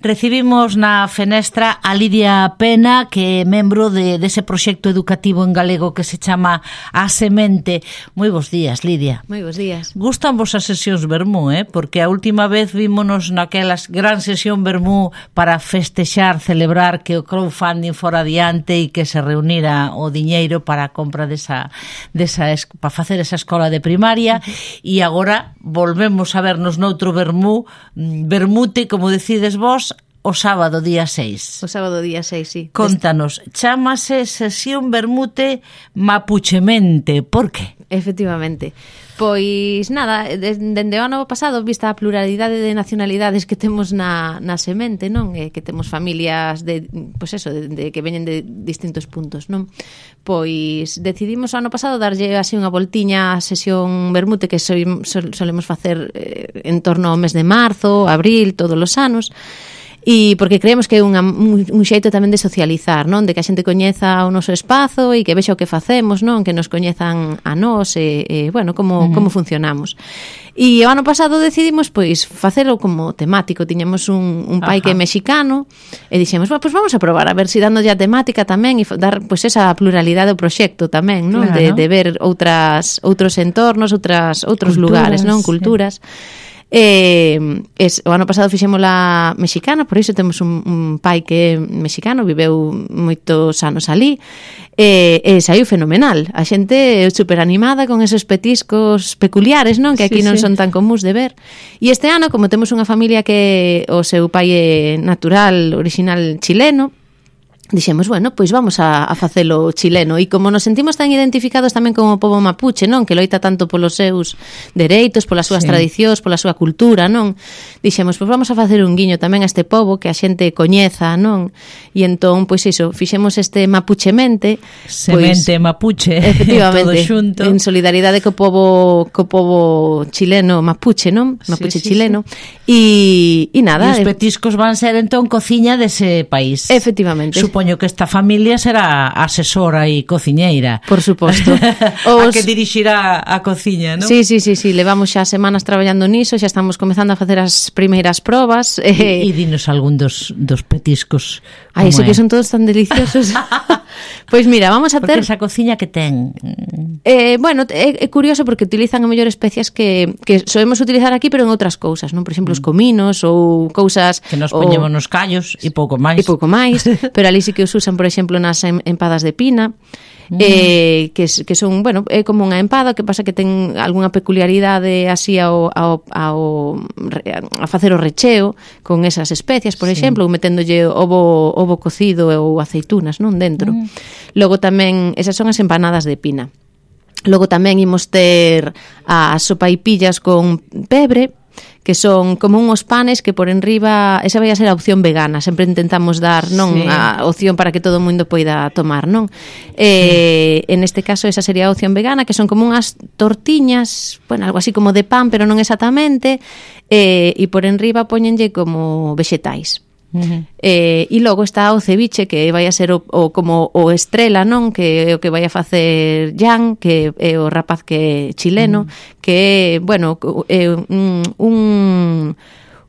Recibimos na fenestra a Lidia Pena, que é membro dese proxecto educativo en galego que se chama A Semente. Moi bons días, Lidia. Moi bons días. Gustan vos as sesións vermú, porque a última vez vímonos naquelas gran sesión vermú para festexar, celebrar que o crowdfunding fora adiante e que se reunira o diñeiro para a compra para facer esa escola de primaria, e agora volvemos a vernos noutro vermú, vermute, como decides vos, o sábado día 6. O sábado día 6, sí. Contanos, chámase Sesión Vermute Mapuchemente. Por que? Efectivamente. Pois nada, dende o ano pasado, vista a pluralidade de nacionalidades que temos na semente, non? Que temos familias de que veñen de distintos puntos, non? Pois decidimos o ano pasado darlle así unha voltiña á sesión vermute que solemos facer en torno ao mes de marzo, abril, todos os anos. E porque creemos que é un xeito tamén de socializar, non? De que a xente coñeza o noso espazo e que vexa o que facemos, non? Que nos coñezan a nós e como funcionamos. E o ano pasado decidimos pois facelo como temático. Tiñamos un pai que é mexicano e dixemos, pois vamos a probar a ver se dándolle a temática tamén e dar pois esa pluralidade do proxecto tamén, non? Claro. De ver outros entornos, outros lugares, non? Culturas. O ano pasado fixémola mexicana, por iso temos un pai que é mexicano, viveu moitos anos ali, e saiu fenomenal. A xente super animada con esos petiscos peculiares, non? Que aquí non son tan comuns de ver. E este ano, como temos unha familia que o seu pai é natural, original chileno, dixemos, bueno, pois vamos a facelo chileno. E como nos sentimos tan identificados tamén como o pobo mapuche, non? Que loita tanto polos seus dereitos, polas súas tradicións, pola súa cultura, non? Dixemos, pois vamos a facer un guiño tamén a este pobo que a xente coñeza, non? E entón, pois iso, fixemos este Mapuchemente. Semente mapuche. Efectivamente. Todo xunto. En solidaridade co pobo chileno mapuche, non? Mapuche chileno. E nada. E os petiscos van ser entón cociña dese país. Efectivamente. Supoño que esta familia será asesora e cociñeira. Por suposto. A que dirixirá a cociña, non? Sí. Levamos xa semanas traballando niso, xa estamos comezando a facer as primeiras probas. E dinos algún dos petiscos. Ai, sei que son todos tan deliciosos. Pois mira, vamos a ter... Porque esa cociña que ten... Bueno, é curioso porque utilizan a mellor especias que solemos utilizar aquí, pero en outras cousas, non? Por exemplo, os cominos ou cousas... Que nos poñemos nos callos e pouco máis. Pero ali sí que os usan, por exemplo, nas empadas de pina, que son, bueno, é como unha empada, que pasa que ten algunha peculiaridade así a facer o recheo con esas especias, por exemplo, ou meténdolle ovo cocido ou aceitunas, non, dentro. Logo tamén, esas son as empanadas de pina. Logo tamén imos ter as sopaipillas con pebre, que son como uns panes que por enriba, esa vai a ser a opción vegana, sempre intentamos dar, non, a opción para que todo o mundo poida tomar, non? En este caso esa sería a opción vegana, que son como unhas tortiñas, bueno, algo así como de pan, pero non exactamente, e por enriba poñenlle como vexetais. E logo está o ceviche, que vai a ser como o estrela, non? Que é o que vai a facer Jan, que é o rapaz que é chileno, que é, bueno, é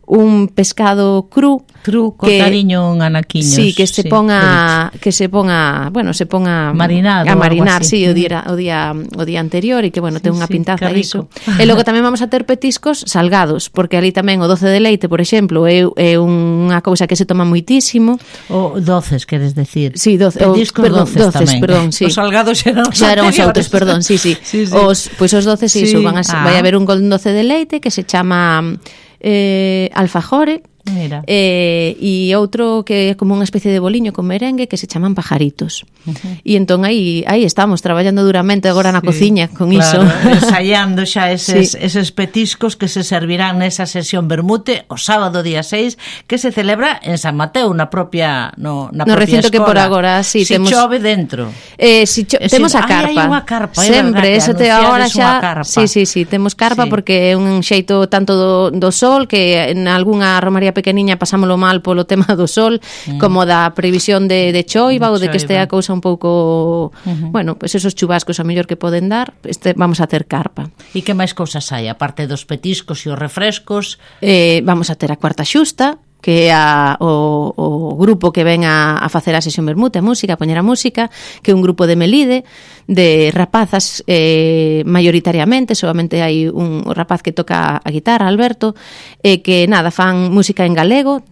un pescado cru, cortadiño en anaquiños. Sí, que se ponga marinado, a marinar, sí, o día anterior, e que, bueno, ten unha pintaza iso. E logo tamén vamos a ter petiscos salgados, porque ali tamén o doce de leite, por exemplo, é unha cousa que se toma moitísimo. O doces, queres decir? Sí, petiscos doces tamén. Perdón, sí. Os salgados xa eran os outros, perdón, sí. Pois os doces, iso, vai haber un doce de leite que se chama alfajore. Mira. E outro que é como unha especie de boliño con merengue que se chaman pajaritos. E entón aí estamos traballando duramente agora na cociña con iso. Ensaiando xa eses petiscos que se servirán nesa sesión vermute o sábado día 6, que se celebra en San Mateo, na propia no recinto escola. Que por agora si temos... chove dentro. Temos a carpa. Hai unha carpa, sempre, eso te agora xa. Sí, temos carpa porque é un xeito tanto do sol, que en algunha romaría pequeniña pasámolo mal polo tema do sol, como da previsión de choiva ou de que este a cousa un pouco, bueno, pois esos chubascos a mellor que poden dar, vamos a ter carpa. E que máis cousas hai, aparte dos petiscos e os refrescos? Vamos a ter a cuarta xusta, que é o grupo que ven a facer a sesión vermute, a música, a poñer a música, que é un grupo de Melide, de rapazas maioritariamente, solamente hai un rapaz que toca a guitarra, Alberto, que nada, fan música en galego,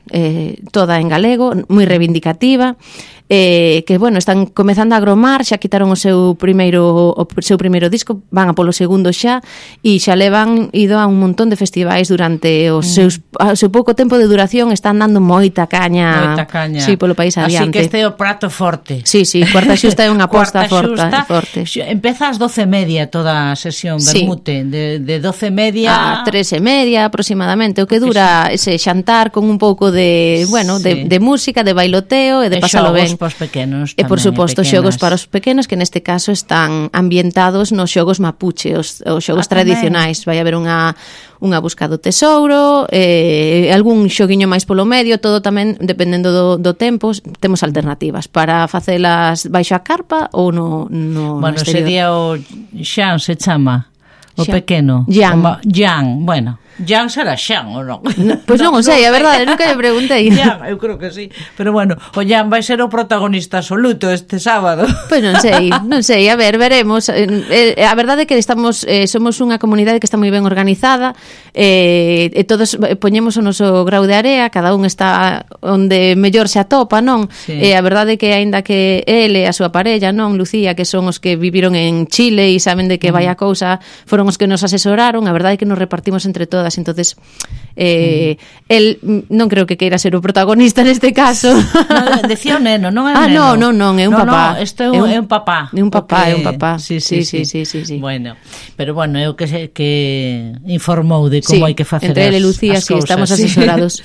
toda en galego, moi reivindicativa, que, bueno, están comezando a agromar, xa quitaron o seu primeiro disco, van a polo segundo xa, e xa levan ido a un montón de festivais durante o seu pouco tempo de duración, están dando moita caña. Sí, polo país adiante. Así que este é o prato forte. Sí, Cuarta Xusta é unha aposta forte. Empeza ás 12:30 toda a sesión vermute, de 12:30 a 3:30 aproximadamente, o que dura ese xantar con un pouco de, bueno, de música, de bailoteo e de pasalo ben. Para os pequenos e por suposto xogos para os pequenos, que neste caso están ambientados nos xogos mapuche, os xogos tradicionais. Vai haber unha busca do tesouro, algún xoguiño máis polo medio, todo tamén dependendo do tempo. Temos alternativas para facelas baixo a carpa ou no bueno, sería o Xan se chama o Xan. pequeno Jan, bueno, Jan será Xan ou non? Pois non o sei, a verdade, nunca lle preguntei. Jan, eu creo que sí. Pero bueno, o Jan vai ser o protagonista absoluto este sábado. Pois non sei, a ver, veremos. A verdade é que somos unha comunidade que está moi ben organizada, e todos poñemos o noso grau de area, cada un está onde mellor se atopa, non? Sí. A verdade é que aínda que ele e a súa parella, non, Lucía, que son os que viviron en Chile e saben de que vai a cousa, foron os que nos asesoraron, a verdade é que nos repartimos entre todas. Entonces el non creo que queira ser o protagonista neste caso. No, decía o neno, non é o neno. Non, é un papá. Isto é un papá. É un papá, é un papá. Sí. Bueno, pero bueno, é o que informou de como hai que facer entre ele e Lucía, as cousas, estamos asesorados.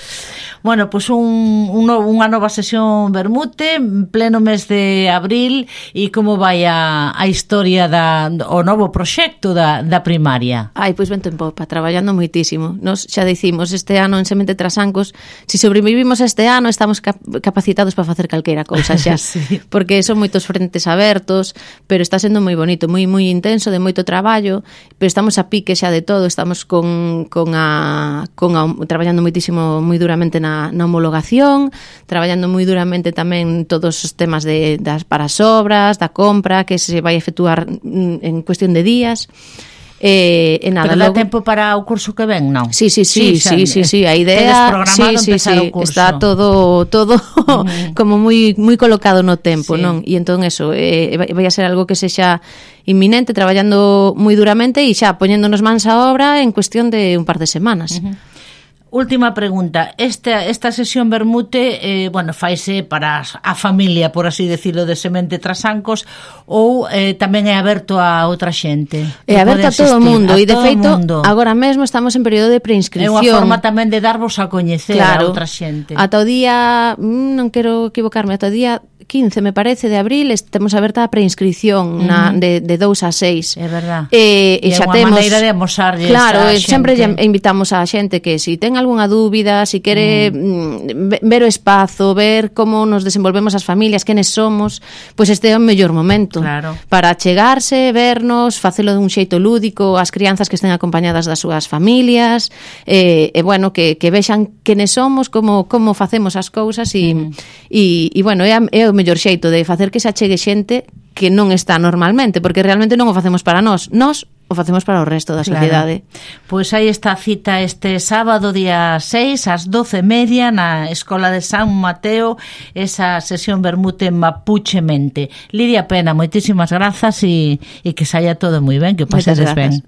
Bueno, pois unha nova sesión vermute en pleno mes de abril. E como vai a historia o novo proxecto da primaria? Ai, pois vento en popa, traballando moitísimo. Nos xa dicimos este ano en Semente Trasancos, se sobrevivimos este ano estamos capacitados para facer calquera cousa xa. Sí. Porque son moitos frentes abertos, pero está sendo moi bonito, moi intenso, de moito traballo, pero estamos a pique xa de todo, estamos traballando moitísimo, moi duramente na homologación, traballando moi duramente tamén todos os temas para as obras, da compra, que se vai efectuar en cuestión de días. Pero dá tempo para o curso que ven, non? Sí, a idea está todo como moi colocado no tempo, non? E entón eso, vai a ser algo que sexa inminente, traballando moi duramente e xa poñéndonos mans á obra en cuestión de un par de semanas. Última pregunta. Esta sesión vermute, bueno, faise para a familia, por así decirlo, de Semente Trasancos, ou tamén é aberto a outra xente? É aberto a todo o mundo, e de feito, agora mesmo estamos en período de preinscripción. É unha forma tamén de darvos a coñecer a outra xente. Ata o día, non quero equivocarme, ata o día 15, me parece, de abril, temos aberta a preinscripción de 2 a 6. É verdad. E xa temos maneira de amosarlles. Claro, sempre invitamos a xente que se ten algunha dúbida, se quere ver o espazo, ver como nos desenvolvemos as familias, quenes somos, pois este é o mellor momento. Claro. Para chegarse, vernos, facelo dun xeito lúdico, as crianzas que estén acompañadas das súas familias, bueno, que vexan quenes somos, como facemos as cousas e bueno, é o mellor xeito de facer que se achegue xente que non está normalmente, porque realmente non o facemos para nós o facemos para o resto da sociedade. Pois aí está a cita este sábado, día 6, ás 12:30, na Escola de San Mateo, esa sesión vermute Mapuchemente. Lidia Pena, moitísimas grazas e que saia todo moi ben, que o pasedes ben.